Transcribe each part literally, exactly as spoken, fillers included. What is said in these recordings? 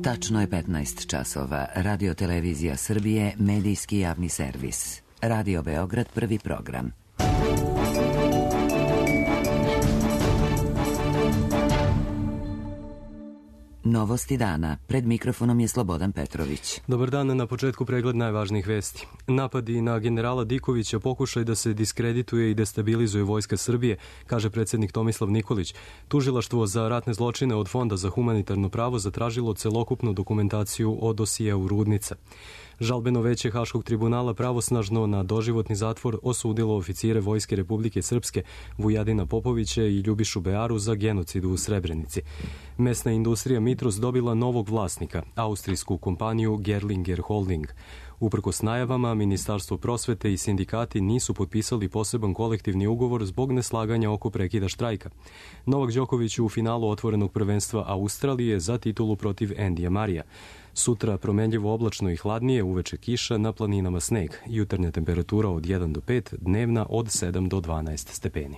Tačno je petnaest časova. Radio Televizija Srbije, medijski javni servis. Radio Beograd, prvi program. Novosti dana. Pred mikrofonom je Slobodan Petrović. Dobar dan, na početku pregled najvažnijih vesti. Napadi na generala Dikovića pokušaj da se diskredituje i destabilizuje vojska Srbije, kaže predsjednik Tomislav Nikolić. Tužilaštvo za ratne zločine od Fonda za humanitarno pravo zatražilo celokupnu dokumentaciju o dosijeu Rudnica. Žalbeno veće Haškog tribunala pravosnažno na doživotni zatvor osudilo oficire Vojske Republike Srpske Vujadina Popovića i Ljubišu Bearu za genocid u Srebrenici. Mesna industrija Mitros dobila novog vlasnika, austrijsku kompaniju Gerlinger Holding. Uprkos najavama, Ministarstvo prosvete i sindikati nisu potpisali poseban kolektivni ugovor zbog neslaganja oko prekida štrajka. Novak Đoković u finalu otvorenog prvenstva Australije za titulu protiv Endija Marija. Sutra promenljivo oblačno i hladnije, uveče kiša, na planinama sneg. Jutarnja temperatura od jedan do pet, dnevna od sedam do dvanaest stepeni.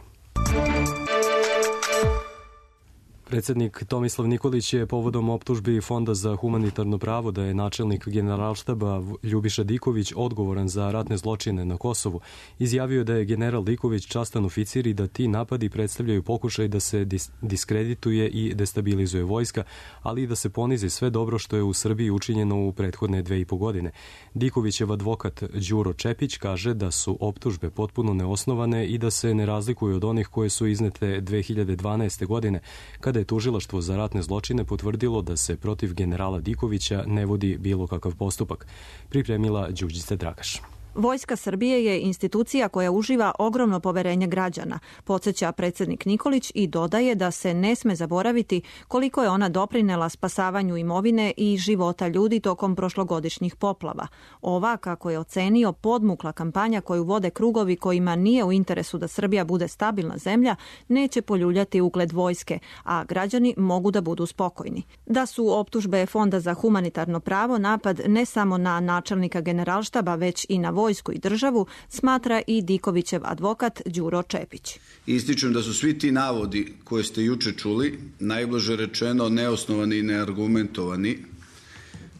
Predsjednik Tomislav Nikolić je povodom optužbi Fonda za humanitarno pravo da je načelnik generalštaba Ljubiša Diković odgovoran za ratne zločine na Kosovu izjavio da je general Diković častan oficir i da ti napadi predstavljaju pokušaj da se dis- diskredituje i destabilizuje vojska, ali i da se ponizi sve dobro što je u Srbiji učinjeno u prethodne dve i po godine. Dikovićev advokat Đuro Čepić kaže da su optužbe potpuno neosnovane i da se ne razlikuju od onih koje su iznete dve hiljade dvanaeste. godine, kada je tužilaštvo za ratne zločine potvrdilo da se protiv generala Dikovića ne vodi bilo kakav postupak. Pripremila Đurđica Dragaš. Vojska Srbije je institucija koja uživa ogromno poverenje građana, podsjeća predsjednik Nikolić i dodaje da se ne sme zaboraviti koliko je ona doprinela spasavanju imovine i života ljudi tokom prošlogodišnjih poplava. Ova, kako je ocenio, podmukla kampanja koju vode krugovi kojima nije u interesu da Srbija bude stabilna zemlja, neće poljuljati ugled vojske, a građani mogu da budu spokojni. Da su optužbe Fonda za humanitarno pravo napad ne samo na načelnika generalštaba, već i na vojsku vojsku i državu, smatra i Dikovićev advokat Đuro Čepić. Ističem da su svi ti navodi koje ste juče čuli, najblaže rečeno neosnovani i neargumentovani,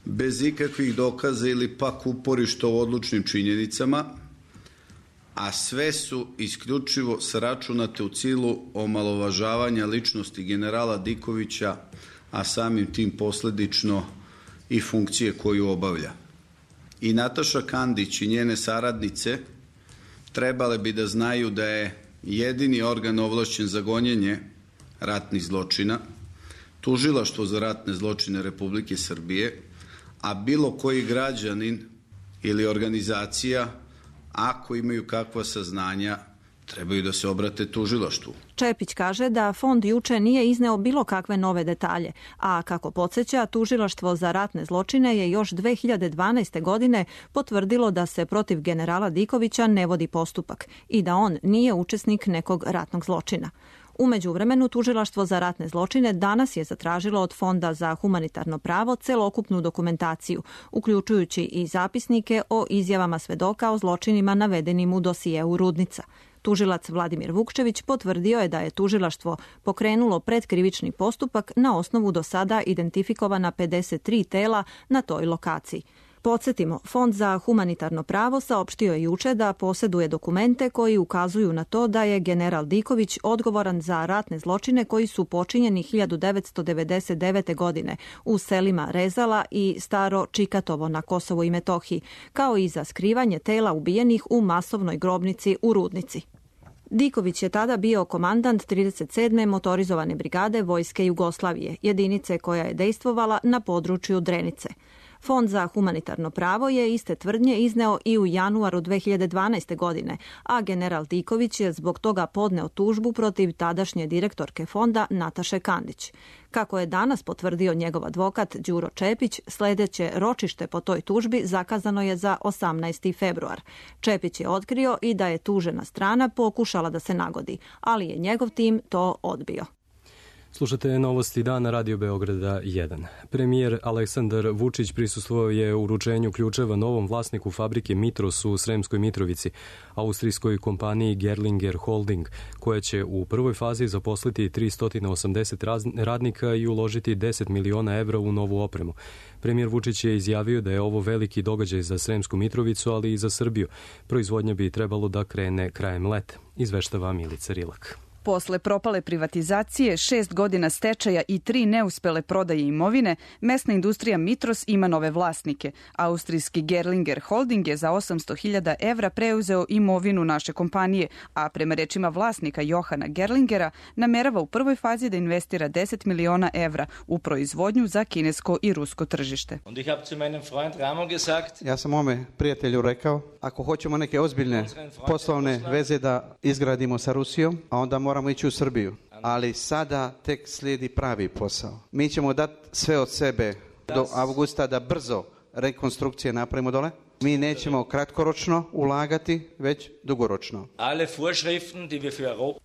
bez ikakvih dokaza ili pak uporišta u odlučnim činjenicama, a sve su isključivo sračunate u cilju omalovažavanja ličnosti generala Dikovića, a samim tim posledično i funkcije koju obavlja. I Nataša Kandić i njene saradnice trebale bi da znaju da je jedini organ ovlašćen za gonjenje ratnih zločina Tužilaštvo za ratne zločine Republike Srbije, a bilo koji građanin ili organizacija, ako imaju kakva saznanja, trebaju da se obrate tužilaštvu. Čepić kaže da fond juče nije izneo bilo kakve nove detalje, a kako podsjeća, Tužilaštvo za ratne zločine je još dve hiljade dvanaeste. godine potvrdilo da se protiv generala Dikovića ne vodi postupak i da on nije učesnik nekog ratnog zločina. U međuvremenu, Tužilaštvo za ratne zločine danas je zatražilo od Fonda za humanitarno pravo celokupnu dokumentaciju, uključujući i zapisnike o izjavama svedoka o zločinima navedenim u dosijeu Rudnica. Tužilac Vladimir Vukčević potvrdio je da je tužilaštvo pokrenulo predkrivični postupak na osnovu do sada identifikovana pedeset tri tela na toj lokaciji. Podsjetimo, Fond za humanitarno pravo saopštio je juče da posjeduje dokumente koji ukazuju na to da je general Diković odgovoran za ratne zločine koji su počinjeni hiljadu devetsto devedeset devete. godine u selima Rezala i Staro Čikatovo na Kosovu i Metohiji, kao i za skrivanje tela ubijenih u masovnoj grobnici u Rudnici. Diković je tada bio komandant trideset sedme motorizovane brigade Vojske Jugoslavije, jedinice koja je dejstvovala na području Drenice. Fond za humanitarno pravo je iste tvrdnje izneo i u januaru dve hiljade dvanaeste. godine, a general Diković je zbog toga podneo tužbu protiv tadašnje direktorke fonda Nataše Kandić. Kako je danas potvrdio njegov advokat Đuro Čepić, sledeće ročište po toj tužbi zakazano je za osamnaesti februar. Čepić je otkrio i da je tužena strana pokušala da se nagodi, ali je njegov tim to odbio. Slušate novosti dana Radio Beograda jedan. Premijer Aleksandar Vučić prisustvovao je uručenju ključeva novom vlasniku fabrike Mitros u Sremskoj Mitrovici, austrijskoj kompaniji Gerlinger Holding, koja će u prvoj fazi zaposliti tristo osamdeset radnika i uložiti deset miliona evra u novu opremu. Premijer Vučić je izjavio da je ovo veliki događaj za Sremsku Mitrovicu, ali i za Srbiju. Proizvodnja bi trebalo da krene krajem leta, izveštava Milica Rilak. Posle propale privatizacije, šest godina stečaja i tri neuspele prodaje imovine, mesna industrija Mitros ima nove vlasnike. Austrijski Gerlinger Holding je za osamsto hiljada evra preuzeo imovinu naše kompanije, a prema rečima vlasnika Johana Gerlingera namerava u prvoj fazi da investira deset miliona evra u proizvodnju za kinesko i rusko tržište. Ja sam mome prijatelju rekao, ako hoćemo neke ozbiljne poslovne veze da izgradimo sa Rusijom, a onda moramo moramo ići u Srbiju, ali sada tek slijedi pravi posao. Mi ćemo dati sve od sebe do avgusta da brzo rekonstrukcije napravimo dole. Mi nećemo kratkoročno ulagati, već dugoročno.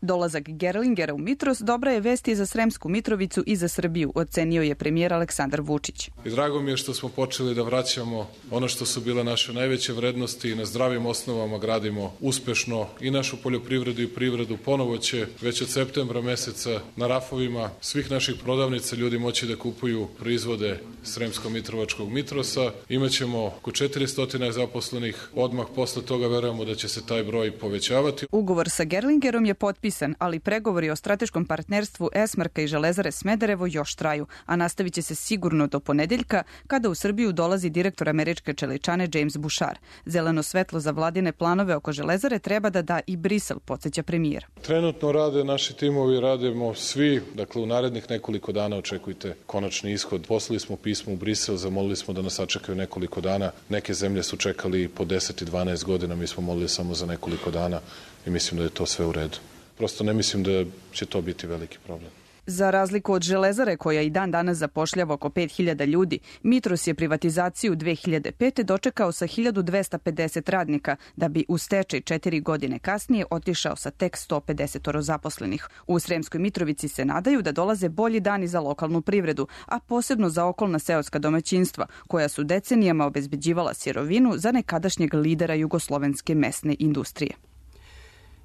Dolazak Gerlingera u Mitros dobra je vesti za Sremsku Mitrovicu i za Srbiju, ocenio je premijer Aleksandar Vučić. I drago mi je što smo počeli da vraćamo ono što su bile naše najveće vrednosti i na zdravim osnovama gradimo uspešno i našu poljoprivredu i privredu. Ponovo će već od septembra meseca na rafovima svih naših prodavnica ljudi moći da kupuju proizvode Sremsko-Mitrovačkog Mitrosa. Imaćemo oko četiristo zaposlenih. Odmah posle toga verujemo da će se taj broj povećavati. Ugovor sa Gerlingerom je potpisan, ali pregovori o strateškom partnerstvu Esmarka i Železare Smederevo još traju, a nastavit će se sigurno do ponedeljka, kada u Srbiju dolazi direktor američke čeličane James Bouchard. Zeleno svetlo za vladine planove oko Železare treba da da i Brisel, podsjeća premijer. Trenutno rade naši timovi, radimo svi, dakle u narednih nekoliko dana očekujte konačni ishod. Poslali smo pismo u Brisel, zamolili smo da nas sačekaju nekoliko dana. Neke zemlje su čekali po deset i dvanaest godina, mi smo molili samo za nekoliko dana i mislim da je to sve u redu. Prosto ne mislim da će to biti veliki problem. Za razliku od Železare, koja i dan danas zapošljava oko pet hiljada ljudi, Mitros je privatizaciju dve hiljade pete dočekao sa hiljadu dvesta pedeset radnika, da bi u stečaj četiri godine kasnije otišao sa tek sto pedeset zaposlenih. U Sremskoj Mitrovici se nadaju da dolaze bolji dani za lokalnu privredu, a posebno za okolna seoska domaćinstva, koja su decenijama obezbeđivala sirovinu za nekadašnjeg lidera jugoslovenske mesne industrije.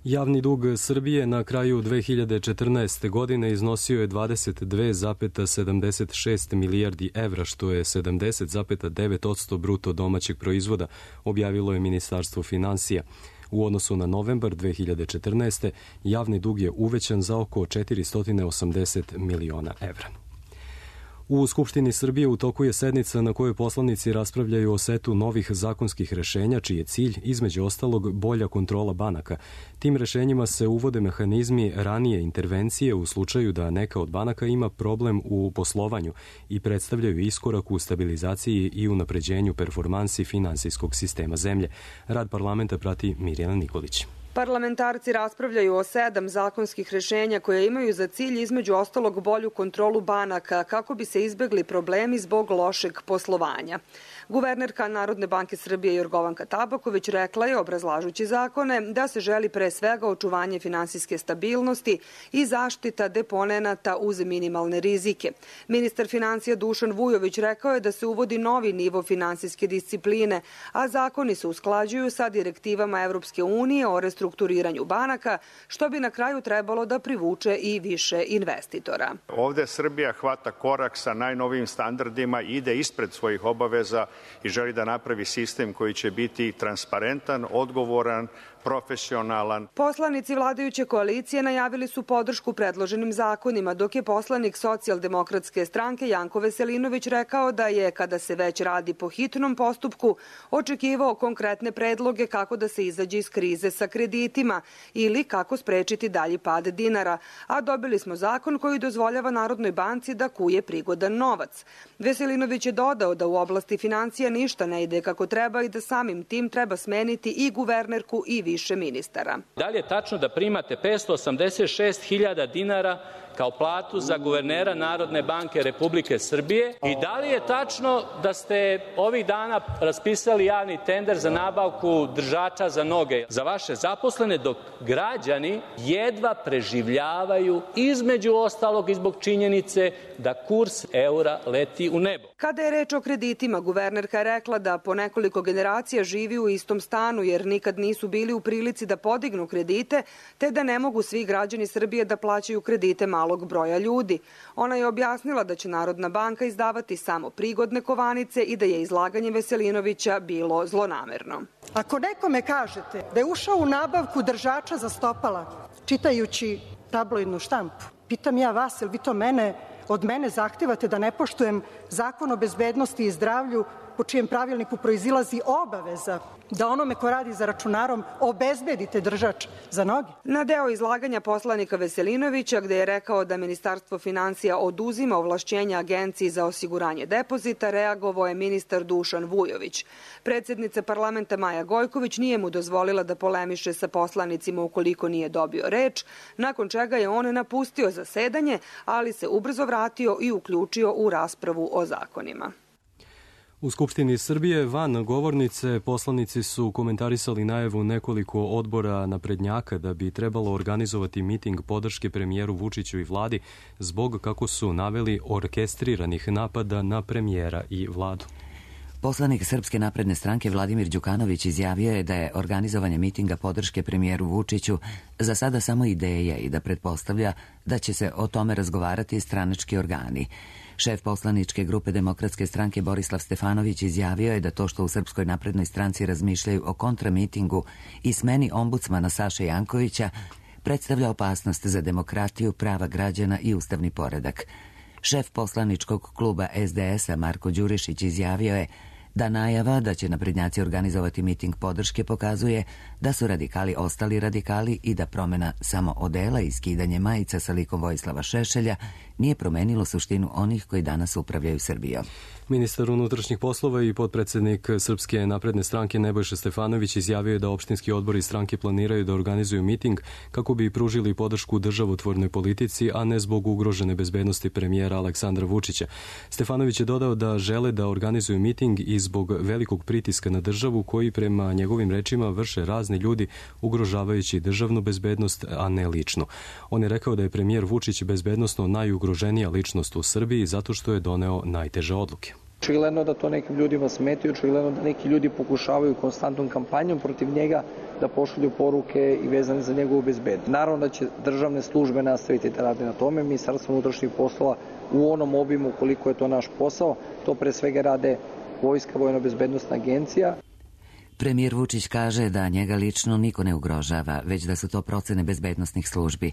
Javni dug Srbije na kraju dve hiljade četrnaeste. godine iznosio je dvadeset dve zarez sedamdeset šest milijardi evra, što je sedamdeset zarez devet posto bruto domaćeg proizvoda, objavilo je Ministarstvo finansija. U odnosu na novembar dve hiljade četrnaeste. javni dug je uvećan za oko četiristo osamdeset miliona evra. U Skupštini Srbije u toku je sednica na kojoj poslanici raspravljaju o setu novih zakonskih rešenja, čiji je cilj, između ostalog, bolja kontrola banaka. Tim rešenjima se uvode mehanizmi ranije intervencije u slučaju da neka od banaka ima problem u poslovanju i predstavljaju iskorak u stabilizaciji i unapređenju performansi finansijskog sistema zemlje. Rad parlamenta prati Mirjana Nikolić. Parlamentarci raspravljaju o sedam zakonskih rešenja koje imaju za cilj između ostalog bolju kontrolu banaka kako bi se izbegli problemi zbog lošeg poslovanja. Guvernerka Narodne banke Srbije Jorgovanka Tabaković rekla je, obrazlažući zakone, da se želi pre svega očuvanje finansijske stabilnosti i zaštita deponenata uz minimalne rizike. Ministar financija Dušan Vujović rekao je da se uvodi novi nivo finansijske discipline, a zakoni se usklađuju sa direktivama Evropske unije o restrukturiranju banaka, što bi na kraju trebalo da privuče i više investitora. Ovde Srbija hvata korak sa najnovijim standardima, ide ispred svojih obaveza i želi da napravi sistem koji će biti transparentan, odgovoran, profesionalan. Poslanici vladajuće koalicije najavili su podršku predloženim zakonima, dok je poslanik Socijaldemokratske stranke Janko Veselinović rekao da je, kada se već radi po hitnom postupku, očekivao konkretne predloge kako da se izađe iz krize sa kreditima ili kako sprečiti dalji pad dinara, a dobili smo zakon koji dozvoljava Narodnoj banci da kuje prigodan novac. Veselinović je dodao da u oblasti financija ništa ne ide kako treba i da samim tim treba smeniti i guvernerku i više ministara. Da li je tačno da primate petsto osamdeset šest hiljada dinara kao platu za guvernera Narodne banke Republike Srbije? I da li je tačno da ste ovih dana raspisali javni tender za nabavku držača za noge za vaše zaposlene, dok građani jedva preživljavaju, između ostalog i zbog činjenice da kurs eura leti u nebo? Kada je reč o kreditima, guvernerka je rekla da po nekoliko generacija živi u istom stanu jer nikad nisu bili u prilici da podignu kredite, te da ne mogu svi građani Srbije da plaćaju kredite malog broja ljudi. Ona je objasnila da će Narodna banka izdavati samo prigodne kovanice i da je izlaganje Veselinovića bilo zlonamerno. Ako nekome kažete da je ušao u nabavku držača za stopala, čitajući tabloidnu štampu, pitam ja vas, jel vi to mene, od mene zahtevate da ne poštujem Zakon o bezbednosti i zdravlju, po čijem pravilniku proizilazi obaveza da onome ko radi za računarom obezbedite držač za noge? Na deo izlaganja poslanika Veselinovića, gde je rekao da Ministarstvo finansija oduzima ovlašćenja Agenciji za osiguranje depozita, reagovao je ministar Dušan Vujović. Predsednica parlamenta Maja Gojković nije mu dozvolila da polemiše sa poslanicima ukoliko nije dobio reč, nakon čega je on napustio zasedanje, ali se ubrzo vratio i uključio u raspravu o zakonima. U Skupštini Srbije van govornice poslanici su komentarisali najavu nekoliko odbora naprednjaka da bi trebalo organizovati miting podrške premijeru Vučiću i vladi zbog, kako su naveli, orkestriranih napada na premijera i vladu. Poslanik Srpske napredne stranke Vladimir Đukanović izjavio je da je organizovanje mitinga podrške premijeru Vučiću za sada samo ideja i da pretpostavlja da će se o tome razgovarati stranački organi. Šef poslaničke grupe Demokratske stranke Borislav Stefanović izjavio je da to što u Srpskoj naprednoj stranci razmišljaju o kontramitingu i smeni ombudsmana Saše Jankovića predstavlja opasnost za demokratiju, prava građana i ustavni poredak. Šef poslaničkog kluba es de es a Marko Đurišić izjavio je da najava da će naprednjaci organizovati miting podrške pokazuje da su radikali ostali radikali i da promena samo odela i skidanje majica sa likom Vojislava Šešelja nije promenilo suštinu onih koji danas upravljaju Srbijom. Ministar unutrašnjih poslova i potpredsednik Srpske napredne stranke Nebojša Stefanović izjavio je da opštinski odbori stranke planiraju da organizuju miting kako bi pružili podršku državotvornoj politici, a ne zbog ugrožene bezbednosti premijera Aleksandra Vučića. Stefanović je dodao da žele da organizuju miting i zbog velikog pritiska na državu koji prema njegovim rečima vrše razni ljudi ugrožavajući državnu bezbednost, a ne lično. On je rekao da je premijer Vučić bezbednosno najugroženija ličnost u Srbiji zato što je doneo najteže odluke. Očigledno da to nekim ljudima smeti, očigledno da neki ljudi pokušavaju konstantnom kampanjom protiv njega da pošalju poruke i vezane za njegovu bezbednost. Naravno da će državne službe nastaviti da rade na tome, Ministarstvo unutrašnjih poslova u onom obimu koliko je to naš posao, to pre svega rade Vojska, Vojno-bezbednostna agencija. Premijer Vučić kaže da njega lično niko ne ugrožava, već da su to procene bezbednosnih službi.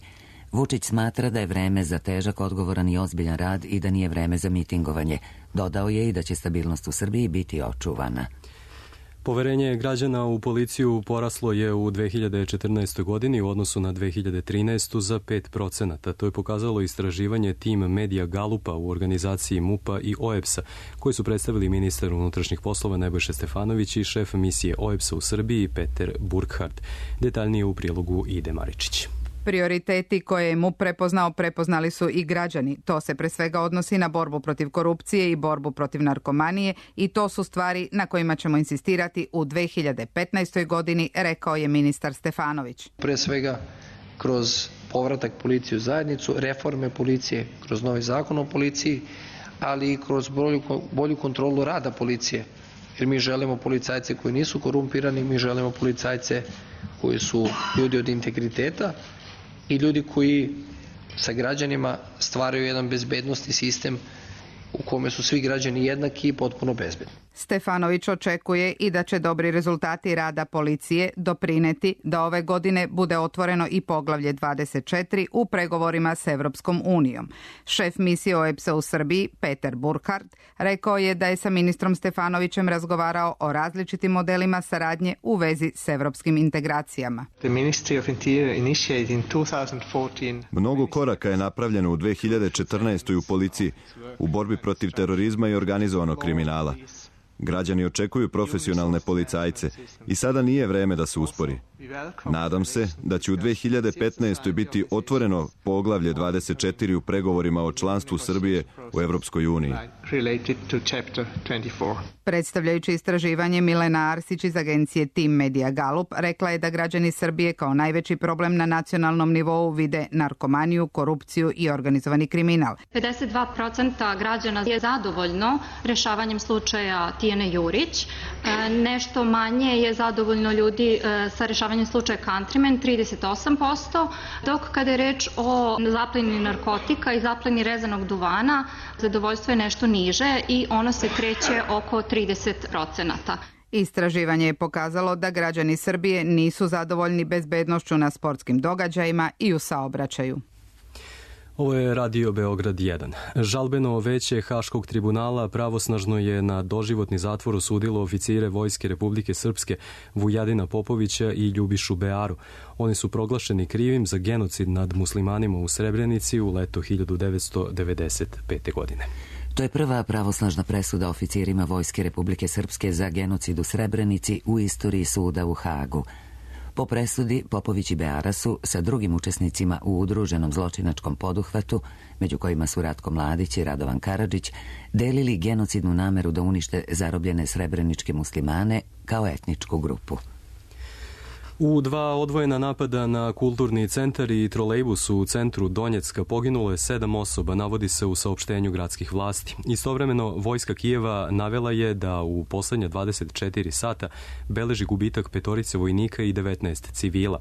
Vučić smatra da je vreme za težak, odgovoran i ozbiljan rad i da nije vreme za mitingovanje. Dodao je i da će stabilnost u Srbiji biti očuvana. Poverenje građana u policiju poraslo je u dve hiljade četrnaestoj godini u odnosu na dve hiljade trinaestu za pet procenata. To je pokazalo istraživanje tim Medija Galupa u organizaciji MUP-a i O E P S-a, koji su predstavili ministar unutrašnjih poslova Nebojša Stefanović i šef misije O E P S-a u Srbiji Peter Burkhardt. Detaljnije u prilogu Ide Maričić. Prioriteti koje je MUP prepoznao, prepoznali su i građani. To se pre svega odnosi na borbu protiv korupcije i borbu protiv narkomanije i to su stvari na kojima ćemo insistirati u dve hiljade petnaestoj godini, rekao je ministar Stefanović. Pre svega kroz povratak policije u zajednicu, reforme policije, kroz novi zakon o policiji, ali i kroz bolju, bolju kontrolu rada policije. Jer mi želimo policajce koji nisu korumpirani, mi želimo policajce koji su ljudi od integriteta i ljudi koji sa građanima stvaraju jedan bezbednosni sistem u kome su svi građani jednaki i potpuno bezbedni. Stefanović očekuje i da će dobri rezultati rada policije doprineti da ove godine bude otvoreno i poglavlje dvadeset četiri u pregovorima s Evropskom unijom. Šef misije O E P S-a u Srbiji, Peter Burkhardt, rekao je da je sa ministrom Stefanovićem razgovarao o različitim modelima saradnje u vezi s evropskim integracijama. Mnogo koraka je napravljeno u dve hiljade četrnaestoj u policiji u borbi protiv terorizma i organizovanog kriminala. Građani očekuju profesionalne policajce i sada nije vreme da se uspori. Nadam se da će u dve hiljade petnaestoj. biti otvoreno poglavlje dvadeset četiri u pregovorima o članstvu Srbije u Evropskoj uniji. Predstavljajući istraživanje, Milena Arsić iz agencije Team Media Gallup rekla je da građani Srbije kao najveći problem na nacionalnom nivou vide narkomaniju, korupciju i organizovani kriminal. pedeset dva posto građana je zadovoljno rešavanjem slučaja Tijane Jurić. Nešto manje je zadovoljno ljudi sa rešavanjem slučaja Countryman, trideset osam posto, dok kada je reč o zapleni narkotika i zapleni rezanog duvana, zadovoljstvo je nešto niže i ono se kreće oko trideset procenata. Istraživanje je pokazalo da građani Srbije nisu zadovoljni bezbednošću na sportskim događajima i u saobraćaju. Ovo je Radio Beograd jedan. Žalbeno veće Haškog tribunala pravosnažno je na doživotni zatvor osudilo oficire Vojske Republike Srpske Vujadina Popovića i Ljubišu Bearu. Oni su proglašeni krivim za genocid nad muslimanima u Srebrenici u leto hiljadu devetsto devedeset pete. godine. To je prva pravosnažna presuda oficirima Vojske Republike Srpske za genocid u Srebrenici u istoriji suda u Hagu. Po presudi, Popović i Beara su sa drugim učesnicima u udruženom zločinačkom poduhvatu, među kojima su Ratko Mladić i Radovan Karadžić, delili genocidnu nameru da unište zarobljene srebreničke muslimane kao etničku grupu. U dva odvojena napada na kulturni centar i trolejbus u centru Donjecka poginulo je sedam osoba, navodi se u saopštenju gradskih vlasti. Istovremeno, vojska Kijeva navela je da u poslednja dvadeset četiri sata beleži gubitak petorice vojnika i devetnaest civila.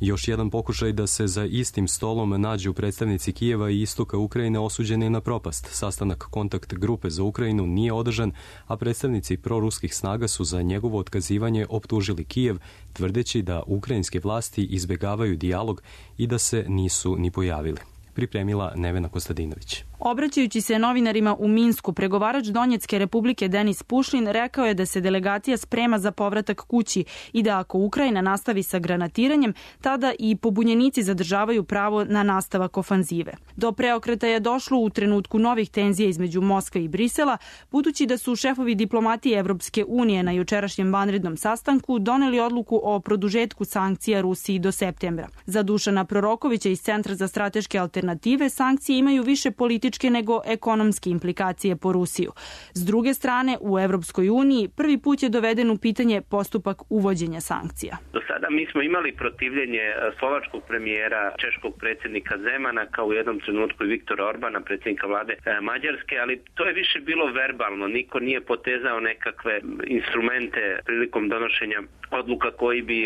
Još jedan pokušaj da se za istim stolom nađu predstavnici Kijeva i istoka Ukrajine osuđen je na propast. Sastanak kontakt grupe za Ukrajinu nije održan, a predstavnici proruskih snaga su za njegovo otkazivanje optužili Kijev, tvrdeći da ukrajinske vlasti izbegavaju dijalog i da se nisu ni pojavili. Pripremila Nevena Kostadinović. Obraćajući se novinarima u Minsku, pregovarač Donjecke republike Denis Pušlin rekao je da se delegacija sprema za povratak kući i da ako Ukrajina nastavi sa granatiranjem, tada i pobunjenici zadržavaju pravo na nastavak ofanzive. Do preokreta je došlo u trenutku novih tenzija između Moskve i Brisela, budući da su šefovi diplomatije Evropske unije na jučerašnjem vanrednom sastanku doneli odluku o produžetku sankcija Rusiji do septembra. Za Dušana Prorokovića iz Centra za strateške alternative, sankcije imaju više političke nego ekonomske implikacije po Rusiju. S druge strane, u Evropskoj uniji prvi put je doveden u pitanje postupak uvođenja sankcija. Do sada mi smo imali protivljenje slovačkog premijera, češkog predsjednika Zemana, kao u jednom trenutku i Viktora Orbana, predsjednika vlade Mađarske, ali to je više bilo verbalno. Niko nije potezao nekakve instrumente prilikom donošenja odluka koji bi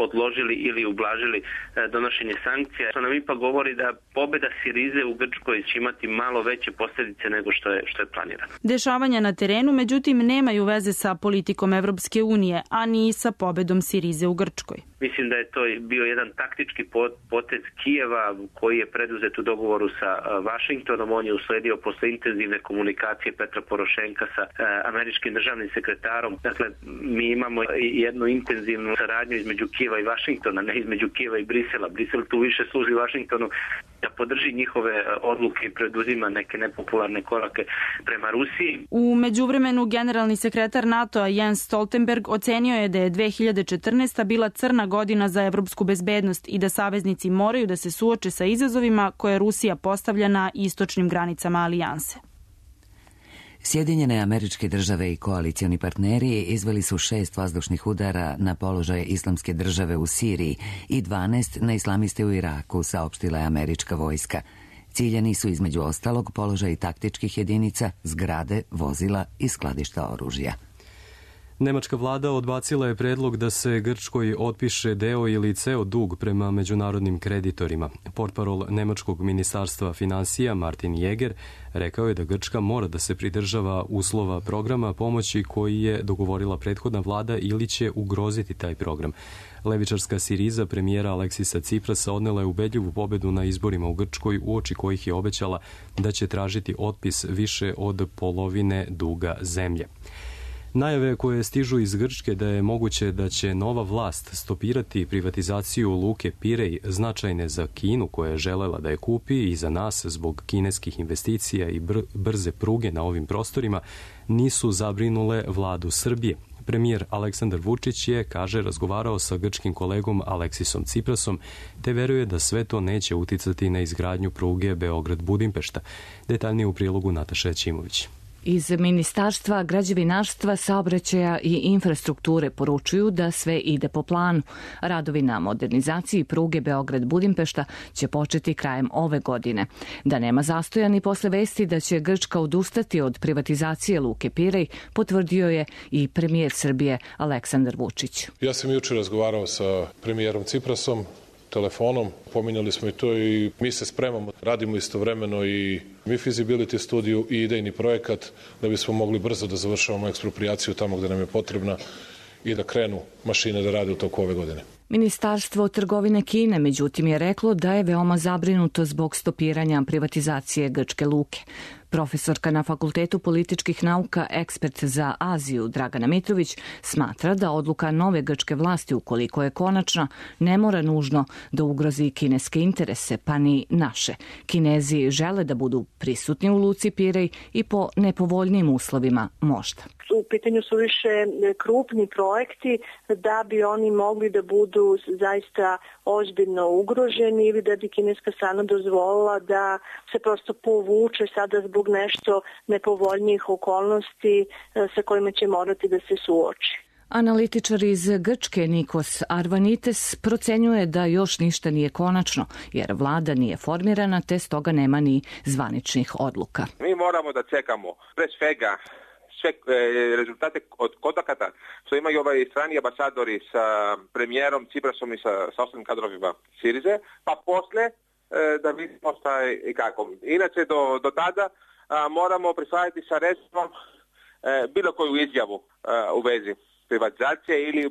odložili ili ublažili donošenje sankcija. To nam ipak govori da pobeda Sirize u Grčkoj će imati malo veće posljedice nego što je, što je planirano. Dešavanja na terenu, međutim, nemaju veze sa politikom Evropske unije, a ni sa pobedom Sirize u Grčkoj. Mislim da je to bio jedan taktički potez Kijeva koji je preduzet u dogovoru sa Vašingtonom. On je usledio posle intenzivne komunikacije Petra Porošenka sa američkim državnim sekretarom. Dakle, mi imamo jednu intenzivnu saradnju između Kijeva i Vašingtona, ne između Kijeva i Brisela. Brisel tu više služi Vašingtonu da podrži njihove odluke i preduzima neke nepopularne korake prema Rusiji. U međuvremenu, generalni sekretar NATO-a Jens Stoltenberg ocenio je da je dve hiljade četrnaesta. bila crna godina za evropsku bezbednost i da saveznici moraju da se suoče sa izazovima koje Rusija postavlja na istočnim granicama alijanse. Sjedinjene Američke Države i koalicioni partneri izveli su šest vazdušnih udara na položaje Islamske države u Siriji i dvanaest na islamiste u Iraku, saopštila je američka vojska. Ciljani su između ostalog položaji taktičkih jedinica, zgrade, vozila i skladišta oružja. Nemačka vlada odbacila je predlog da se Grčkoj otpiše deo ili ceo dug prema međunarodnim kreditorima. Portparol Nemačkog ministarstva finansija Martin Jäger rekao je da Grčka mora da se pridržava uslova programa pomoći koji je dogovorila prethodna vlada ili će ugroziti taj program. Levičarska Siriza premijera Aleksisa Ciprasa odnela je ubedljivu pobedu na izborima u Grčkoj, uoči kojih je obećala da će tražiti otpis više od polovine duga zemlje. Najave koje stižu iz Grčke da je moguće da će nova vlast stopirati privatizaciju luke Pirej značajne za Kinu koja je želela da je kupi i za nas zbog kineskih investicija i br- brze pruge na ovim prostorima nisu zabrinule vladu Srbije. Premijer Aleksandar Vučić je, kaže, razgovarao sa grčkim kolegom Aleksisom Ciprasom, te veruje da sve to neće uticati na izgradnju pruge Beograd-Budimpešta. Detaljnije u prilogu Nataša Ćimović. Iz Ministarstva građevinarstva, saobraćaja i infrastrukture poručuju da sve ide po planu. Radovi na modernizaciji pruge Beograd-Budimpešta će početi krajem ove godine. Da nema zastoja ni posle vesti da će Grčka odustati od privatizacije luke Pirej, potvrdio je i premijer Srbije Aleksandar Vučić. Ja sam juče razgovarao sa premijerom Ciprasom telefonom, pominjali smo i to i mi se spremamo, radimo istovremeno i mi feasibility studiju i idejni projekat da bismo mogli brzo da završavamo eksproprijaciju tamo gde nam je potrebna i da krenu mašine da rade u toku ove godine. Ministarstvo trgovine Kine, međutim, je reklo da je veoma zabrinuto zbog stopiranja privatizacije grčke luke. Profesorka na Fakultetu političkih nauka, ekspert za Aziju Dragana Mitrović, smatra da odluka nove grčke vlasti, ukoliko je konačna, ne mora nužno da ugrozi kineske interese, pa ni naše. Kinezi žele da budu prisutni u luci Pirej i po nepovoljnim uslovima možda. U pitanju su više krupni projekti da bi oni mogli da budu zaista ozbiljno ugroženi ili da bi kineska strana dozvolila da se prosto povuče sada zbog nešto nepovoljnijih okolnosti sa kojima će morati da se suoči. Analitičar iz Grčke Nikos Arvanites procenjuje da još ništa nije konačno, jer vlada nije formirana, te stoga nema ni zvaničnih odluka. Mi moramo da čekamo pre svega sve rezultate od kontakata što imaju ovaj strani ambasadori sa premijerom Ciprasom i sa, sa ostalim kadrovima Sirize, pa posle e, da vidimo šta i kako. Inače, do, do tada a, moramo prihvatiti sa rezervom e, bilo koju izjavu a, u vezi privatizacije ili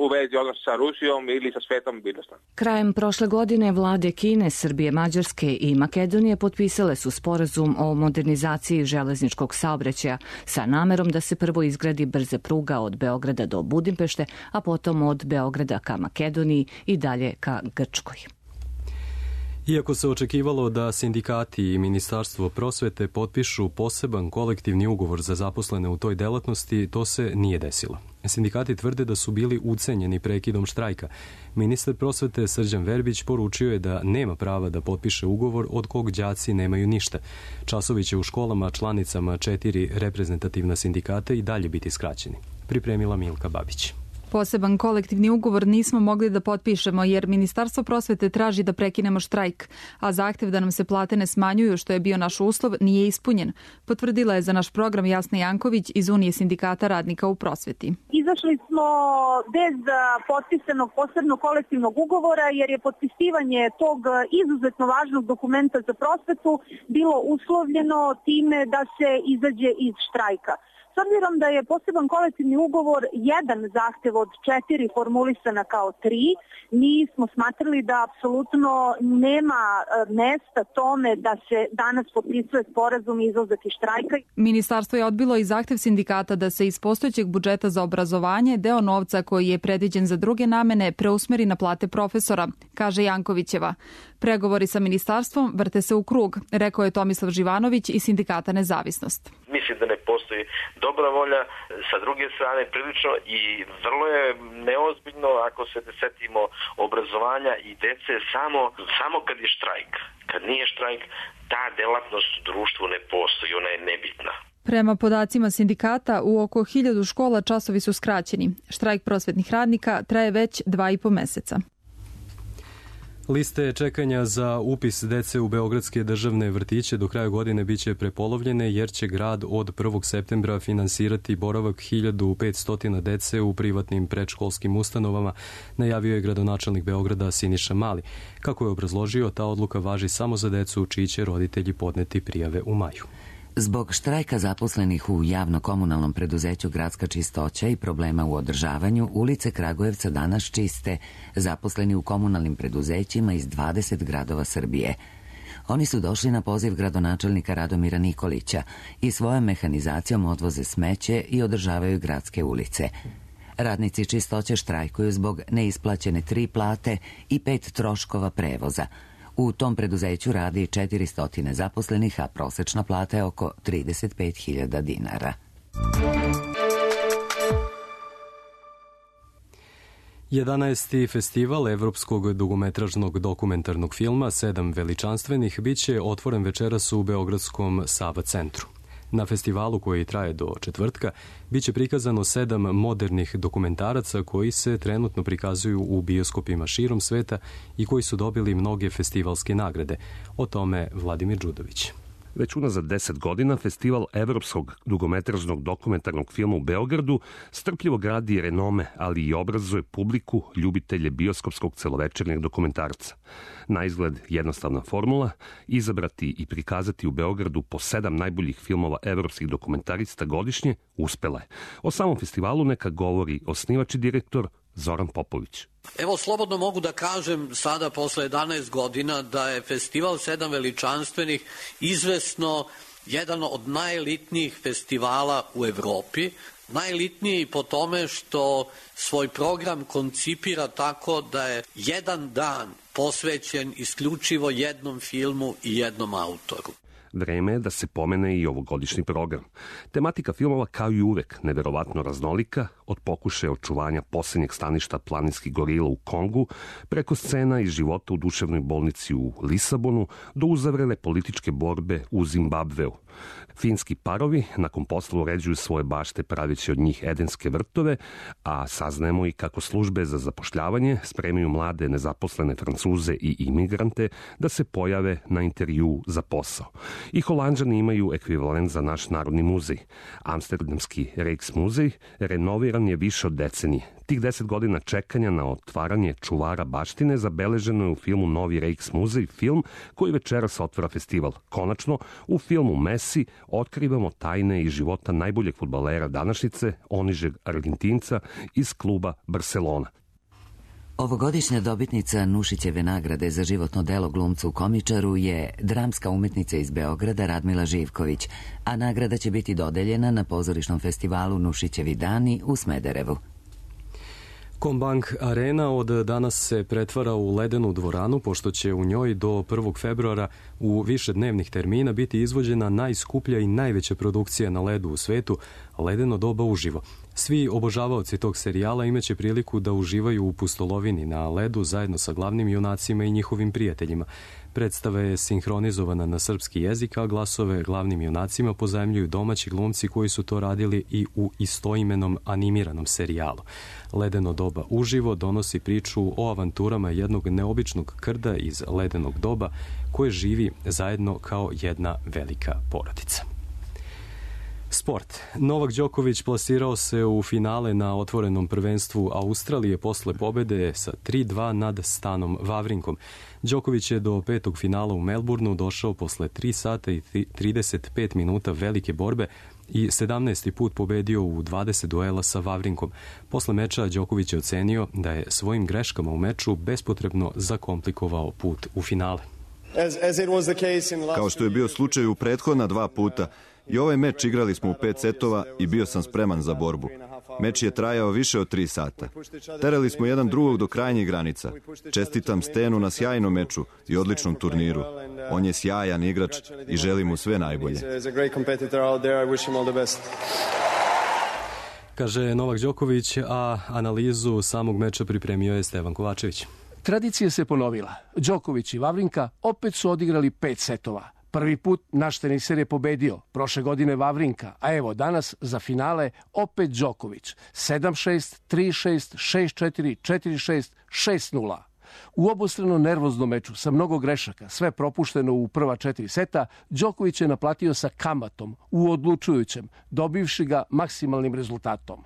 u vezi odnosa sa Rusijom ili sa svetom bilo šta. Krajem prošle godine vlade Kine, Srbije, Mađarske i Makedonije potpisale su sporazum o modernizaciji železničkog saobraćaja sa namerom da se prvo izgradi brze pruga od Beograda do Budimpešte, a potom od Beograda ka Makedoniji i dalje ka Grčkoj. Iako se očekivalo da sindikati i Ministarstvo prosvete potpišu poseban kolektivni ugovor za zaposlene u toj delatnosti, to se nije desilo. Sindikati tvrde da su bili ucenjeni prekidom štrajka. Ministar prosvete Srđan Verbić poručio je da nema prava da potpiše ugovor od kog đaci nemaju ništa. Časovi će u školama članicama četiri reprezentativna sindikata i dalje biti skraćeni. Pripremila Milka Babić. Poseban kolektivni ugovor nismo mogli da potpišemo jer Ministarstvo prosvete traži da prekinemo štrajk, a zahtev da nam se plate ne smanjuju, što je bio naš uslov, nije ispunjen. Potvrdila je za naš program Jasna Janković iz Unije sindikata radnika u prosveti. Izašli smo bez potpisanog posebnog kolektivnog ugovora jer je potpisivanje tog izuzetno važnog dokumenta za prosvetu bilo uslovljeno time da se izađe iz štrajka. S obzirom da je poseban kolektivni ugovor jedan zahtev od četiri formulisana kao tri, mi smo smatrali da apsolutno nema mesta tome da se danas potpisuje sporazum i izlazak iz štrajka. Ministarstvo je odbilo i zahtev sindikata da se iz postojećeg budžeta za obrazovanje deo novca koji je predviđen za druge namene preusmeri na plate profesora, kaže Jankovićeva. Pregovori sa ministarstvom vrte se u krug, rekao je Tomislav Živanović iz sindikata Nezavisnost. Mislim da ne postoji dobra volja sa druge strane prilično i vrlo je neozbiljno ako se setimo obrazovanja i dece samo, samo kad je štrajk. Kad nije štrajk, ta delatnost u društvu ne postoji, ona je nebitna. Prema podacima sindikata, u oko hiljadu škola časovi su skraćeni. Štrajk prosvetnih radnika traje već dva i po meseca. Liste čekanja za upis dece u beogradske državne vrtiće do kraja godine biće prepolovljene jer će grad od prvog septembra finansirati boravak hiljadu petsto dece u privatnim predškolskim ustanovama, najavio je gradonačelnik Beograda Siniša Mali. Kako je obrazložio, ta odluka važi samo za decu čiji će roditelji podneti prijave u maju. Zbog štrajka zaposlenih u javno-komunalnom preduzeću Gradska čistoća i problema u održavanju, ulice Kragujevca danas čiste zaposleni u komunalnim preduzećima iz dvadeset gradova Srbije. Oni su došli na poziv gradonačelnika Radomira Nikolića i svojom mehanizacijom odvoze smeće i održavaju gradske ulice. Radnici čistoće štrajkuju zbog neisplaćene tri plate i pet troškova prevoza. U tom preduzeću radi četiristo zaposlenih, a prosečna plata je oko trideset pet hiljada dinara. jedanaesti festival evropskog dugometražnog dokumentarnog filma Sedam veličanstvenih biće otvoren večeras u Beogradskom Sava centru. Na festivalu koji traje do četvrtka biće prikazano sedam modernih dokumentaraca koji se trenutno prikazuju u bioskopima širom sveta i koji su dobili mnoge festivalske nagrade. O tome Vladimir Đudović. Već unazad deset godina Festival evropskog dugometražnog dokumentarnog filma u Beogradu strpljivo gradi renome, ali i obrazuje publiku, ljubitelje bioskopskog celovečernjeg dokumentarca. Na izgled jednostavna formula, izabrati i prikazati u Beogradu po sedam najboljih filmova evropskih dokumentarista godišnje, uspela je. O samom festivalu neka govori osnivač i direktor Zoran Popović. Evo, slobodno mogu da kažem sada posle jedanaest godina da je Festival Sedam veličanstvenih izvesno jedan od najelitnijih festivala u Evropi. Najelitniji po tome što svoj program koncipira tako da je jedan dan posvećen isključivo jednom filmu i jednom autoru. Vreme je da se pomene i ovogodišnji program. Tematika filmova, kao i uvek, neverovatno raznolika, od pokušaja očuvanja posljednjeg staništa planinskih gorila u Kongu, preko scena iz života u duševnoj bolnici u Lisabonu, do uzavrele političke borbe u Zimbabveu. Finski parovi nakon posla uređuju svoje bašte praveći od njih edenske vrtove, a saznajemo i kako službe za zapošljavanje spremaju mlade nezaposlene Francuze i imigrante da se pojave na intervju za posao. I Holanđani imaju ekvivalent za naš Narodni muzej. Amsterdamski Rijksmuzej renoviran je više od decenije. Tih deset godina čekanja na otvaranje čuvara baštine zabeleženo je u filmu Novi Rijksmuzej, film koji večeras otvara festival. Konačno, u filmu Messi otkrivamo tajne iz života najboljeg fudbalera današnjice, onižeg Argentinca iz kluba Barcelona. Ovogodišnja dobitnica Nušićeve nagrade za životno delo glumcu komičaru je dramska umetnica iz Beograda Radmila Živković, a nagrada će biti dodeljena na pozorišnom festivalu Nušićevi dani u Smederevu. Combank Arena od danas se pretvara u ledenu dvoranu, pošto će u njoj do prvog februara u više dnevnih termina biti izvođena najskuplja i najveća produkcija na ledu u svetu, Ledeno doba uživo. Svi obožavaoci tog serijala imaće priliku da uživaju u pustolovini na ledu zajedno sa glavnim junacima i njihovim prijateljima. Predstava je sinhronizovana na srpski jezik, a glasove glavnim junacima pozajmljuju domaći glumci koji su to radili i u istoimenom animiranom serijalu. Ledeno doba uživo donosi priču o avanturama jednog neobičnog krda iz ledenog doba koje živi zajedno kao jedna velika porodica. Sport. Novak Đoković plasirao se u finale na otvorenom prvenstvu Australije posle pobede sa tri dva nad Stanom Vavrinkom. Đoković je do petog finala u Melbourneu došao posle tri sata i trideset pet minuta velike borbe i sedamnaesti put pobedio u dvadeset duela sa Vavrinkom. Posle meča Đoković je ocenio da je svojim greškama u meču bespotrebno zakomplikovao put u finale. Kao što je bio slučaj u prethodna dva puta, i ovaj meč igrali smo u pet setova i bio sam spreman za borbu. Meč je trajao više od tri sata. Terali smo jedan drugog do krajnjih granica. Čestitam Stenu na sjajnom meču i odličnom turniru. On je sjajan igrač i želim mu sve najbolje. Kaže Novak Đoković, a analizu samog meča pripremio je Stevan Kovačević. Tradicija se ponovila. Đoković i Vavrinka opet su odigrali pet setova. Prvi put naš teniser je pobedio, prošle godine Vavrinka, a evo danas za finale opet Đoković. sedam šest, tri šest, šest četiri, četiri šest, šest nula. U obostrano nervoznom meču sa mnogo grešaka, sve propušteno u prva četiri seta, Đoković je naplatio sa kamatom u odlučujućem, dobivši ga maksimalnim rezultatom.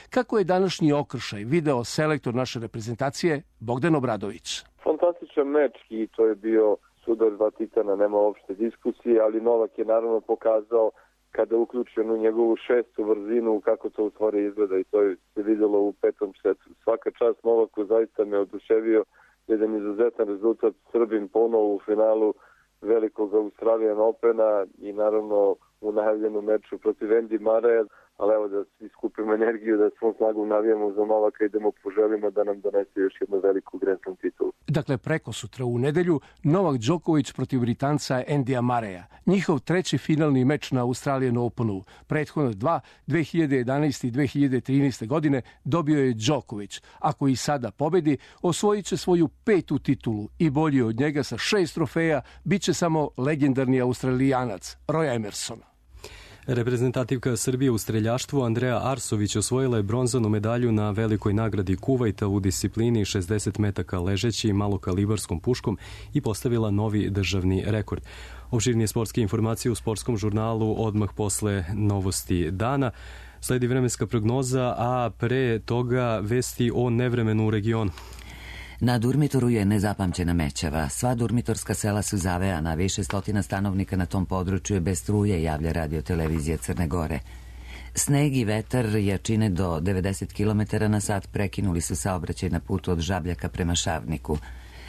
Kako je današnji okršaj video selektor naše reprezentacije Bogdan Obradović? Fantastičan meč i to je bio sudar dva titana, nema uopšte diskusije, ali Novak je naravno pokazao kada je uključen u njegovu šestu vrzinu kako to u stvari izgleda i to je se vidjelo u petom setu. Svaka čast Novaku, zaista me oduševio, jedan izuzetan rezultat, Srbin ponovo u finalu velikog Australian Opena i naravno u najavljenom meču protiv Andy Murraya, ali evo da svi skupimo energiju, da svom snagom navijamo za Novaka i idemo poželimo da nam donese još jednu veliku Grand Slam titulu. Dakle, preko sutra u nedelju Novak Đoković protiv Britanca Andyja Murraya. Njihov treći finalni meč na Australian Openu. Prethodno dva, dve hiljade jedanaeste i dve hiljade trinaeste godine dobio je Đoković. Ako i sada pobedi, osvojit će svoju petu titulu i bolji od njega sa šest trofeja bit će samo legendarni Australijanac Roy Emerson. Reprezentativka Srbije u streljaštvu Andreja Arsović osvojila je bronzanu medalju na velikoj nagradi Kuvajta u disciplini šezdeset metaka ležeći malokalibarskom puškom i postavila novi državni rekord. Opširnije sportske informacije u sportskom žurnalu odmah posle novosti dana. Sledi vremenska prognoza, a pre toga vesti o nevremenu u regionu. Na Durmitoru je nezapamćena mećava. Sva durmitorska sela su zavejana, više stotina stanovnika na tom području je bez struje, javlja radio televizija Crne Gore. Sneg i vetar jačine do devedeset kilometara na sat prekinuli su saobraćaj na putu od Žabljaka prema Šavniku.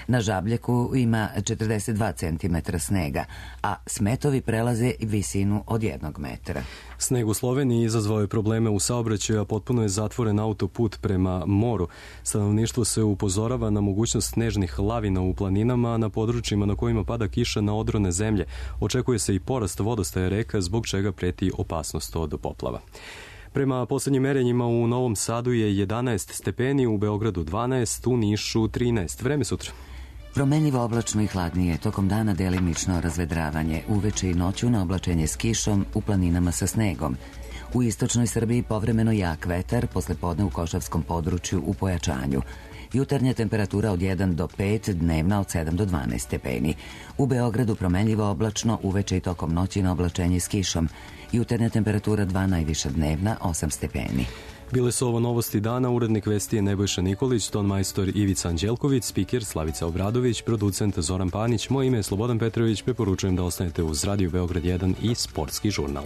Na Žabljaku ima četrdeset dva centimetra snega, a smetovi prelaze visinu od jednog metra. Sneg u Sloveniji izazvao je probleme u saobraćaju, a potpuno je zatvoren autoput prema moru. Stanovništvo se upozorava na mogućnost snežnih lavina u planinama, a na područjima na kojima pada kiša na odrone zemlje. Očekuje se i porast vodostaja reka, zbog čega preti opasnost od poplava. Prema poslednjim merenjima u Novom Sadu je jedanaest stepeni, u Beogradu dvanaest, u Nišu trinaest. Vreme sutra. Promenljivo oblačno i hladnije, tokom dana delimično razvedravanje, uveče i noću na oblačenje s kišom, u planinama sa snegom. U istočnoj Srbiji povremeno jak vetar, posle podne u Košavskom području u pojačanju. Jutarnja temperatura od jedan do pet, dnevna od sedam do dvanaest stepeni. U Beogradu promenljivo oblačno, uveče i tokom noći na oblačenje s kišom. Jutarnja temperatura dva, najviša dnevna osam stepeni. Bile su ovo novosti dana, urednik vesti je Nebojša Nikolić, ton majstor Ivica Anđelković, spiker Slavica Obradović, producent Zoran Panić, moje ime je Slobodan Petrović, preporučujem da ostanete uz Radio Beograd jedan i Sportski žurnal.